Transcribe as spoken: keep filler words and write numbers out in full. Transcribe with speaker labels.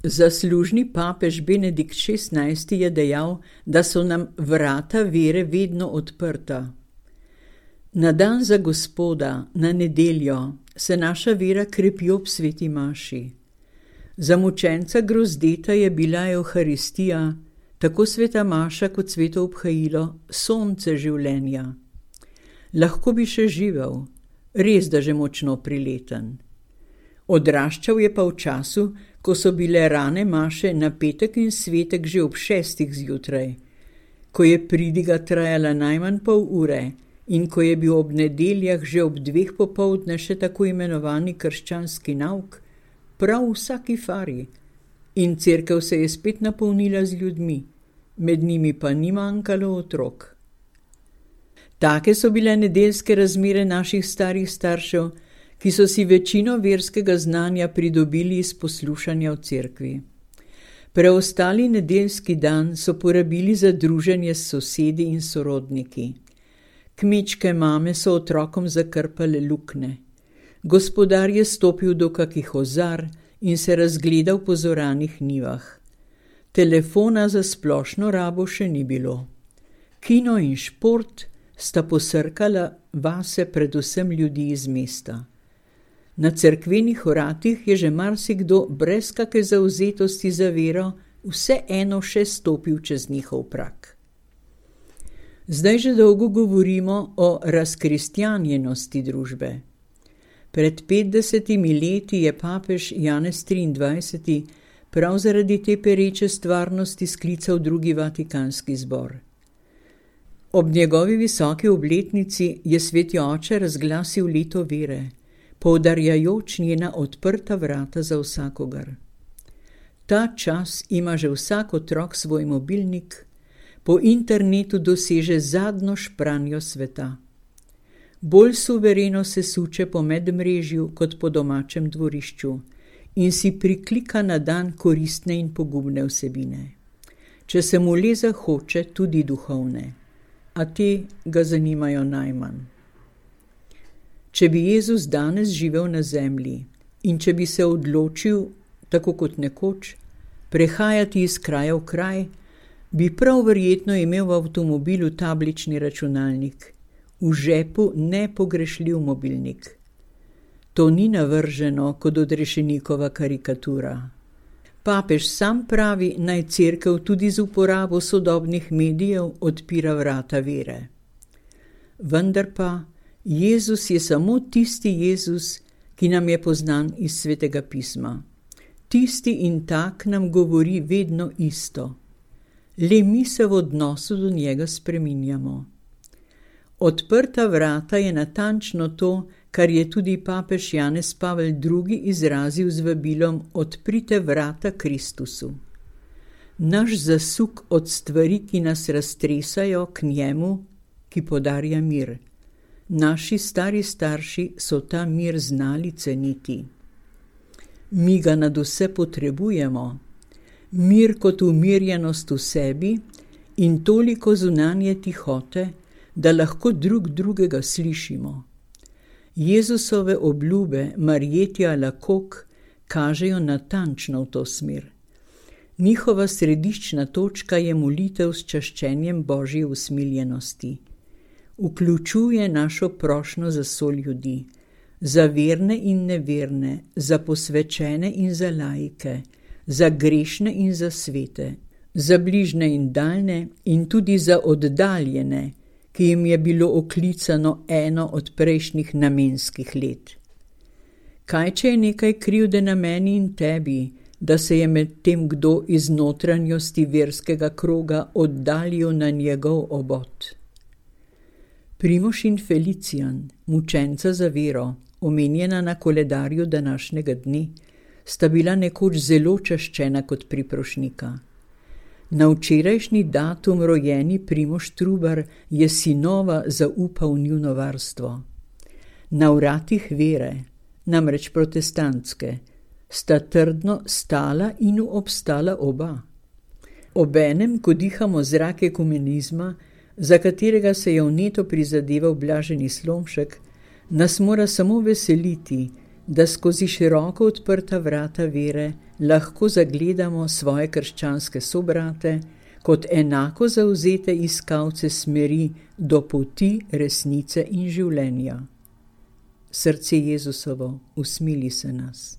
Speaker 1: Zaslužni papež Benedikt šestnajsti je dejal, da so nam vrata vere vedno odprta. Na dan za Gospoda, na nedeljo, se naša vera krepi ob sveti maši. Za mučenca grozdeta je bila Evharistija, tako sveta maša kot sveto obhajilo, sonce življenja. Lahko bi še živel, res da že močno prileten. Odraščal je pa v času, ko so bile rane maše na petek in svetek že ob šestih zjutraj, ko je pridiga trajala najmanj pol ure in ko je bil ob nedeljah že ob dveh popoldne še tako imenovani krščanski nauk, prav v vsaki fari, in cerkev se je spet napolnila z ljudmi, med njimi pa ni manjkalo otrok. Take so bile nedeljske razmere naših starih staršev, ki so si večino verskega znanja pridobili iz poslušanja v cerkvi. Preostali nedeljski dan so porabili za druženje s sosedi in sorodniki. Kmečke mame so otrokom zakrpale luknje. Gospodar je stopil do kakih ozar in se razgledal po zoranih njivah. Telefona za splošno rabo še ni bilo. Kino in šport sta posrkala vase predvsem ljudi iz mesta. Na cerkvenih vratih je že marsikdo brez kake zavzetosti za vero vseeno še stopil čez njihov prak. Zdaj že dolgo govorimo o razkristjanjenosti družbe. Pred petdesetimi leti je papež Janez triindvajseti prav zaradi te pereče stvarnosti sklical drugi vatikanski zbor. Ob njegovi visoki obletnici je sveti oče razglasil leto vere, poudarjajoč njena odprta vrata za vsakogar. Ta čas ima že vsak otrok svoj mobilnik, po internetu doseže zadnjo špranjo sveta. Bolj suvereno se suče po medmrežju kot po domačem dvorišču in si priklika na dan koristne in pogubne vsebine. Če se mu le zahoče, tudi duhovne, a te ga zanimajo najmanj. Če bi Jezus danes živel na zemlji in če bi se odločil, tako kot nekoč, prehajati iz kraja v kraj, bi prav verjetno imel v avtomobilu tablični računalnik, v žepu nepogrešljiv mobilnik. To ni navrženo kot odrešenikova karikatura. Papež sam pravi, naj cerkev tudi z uporabo sodobnih medijev odpira vrata vere. Vendar pa Jezus je samo tisti Jezus, ki nam je poznan iz svetega pisma. Tisti in tak nam govori vedno isto. Le mi se v odnosu do njega spreminjamo. Odprta vrata je natančno to, kar je tudi papež Janez Pavel drugi izrazil z vabilom odprite vrata Kristusu. Naš zasuk od stvari, ki nas raztresajo, k njemu, ki podarja mir. Naši stari starši so ta mir znali ceniti. Mi ga nadvse potrebujemo. Mir kot umirjenost v sebi in toliko zunanje tihote, da lahko drug drugega slišimo. Jezusove obljube Marjetja Lakok kažejo natančno v to smer. Njihova središčna točka je molitev s čaščenjem Božje usmiljenosti. Vključuje našo prošnjo za soljudi, za verne in neverne, za posvečene in za laike, za grešne in za svete, za bližne in daljne in tudi za oddaljene, ki jim je bilo oklicano eno od prejšnjih namenskih let. Kaj, če je nekaj krivde na meni in tebi, da se je med tem kdo iz notranjosti verskega kroga oddaljil na njegov obod? Primož in Felicijan, mučenca za vero, omenjena na koledarju današnjega dne, sta bila nekoč zelo čaščena kot priprošnika. Na včerajšnji datum rojeni Primož Trubar je sinova zaupal njuno varstvo. Na vratih vere, namreč protestantske, sta trdno stala in obstala oba. Obenem, ko dihamo zrak ekumenizma, za katerega se je vneto prizadeval Blaženi Slomšek, nas mora samo veseliti, da skozi široko odprta vrata vere lahko zagledamo svoje krščanske sobrate kot enako zavzete iskalce smeri do poti, resnice in življenja. Srce Jezusovo, usmili se nas.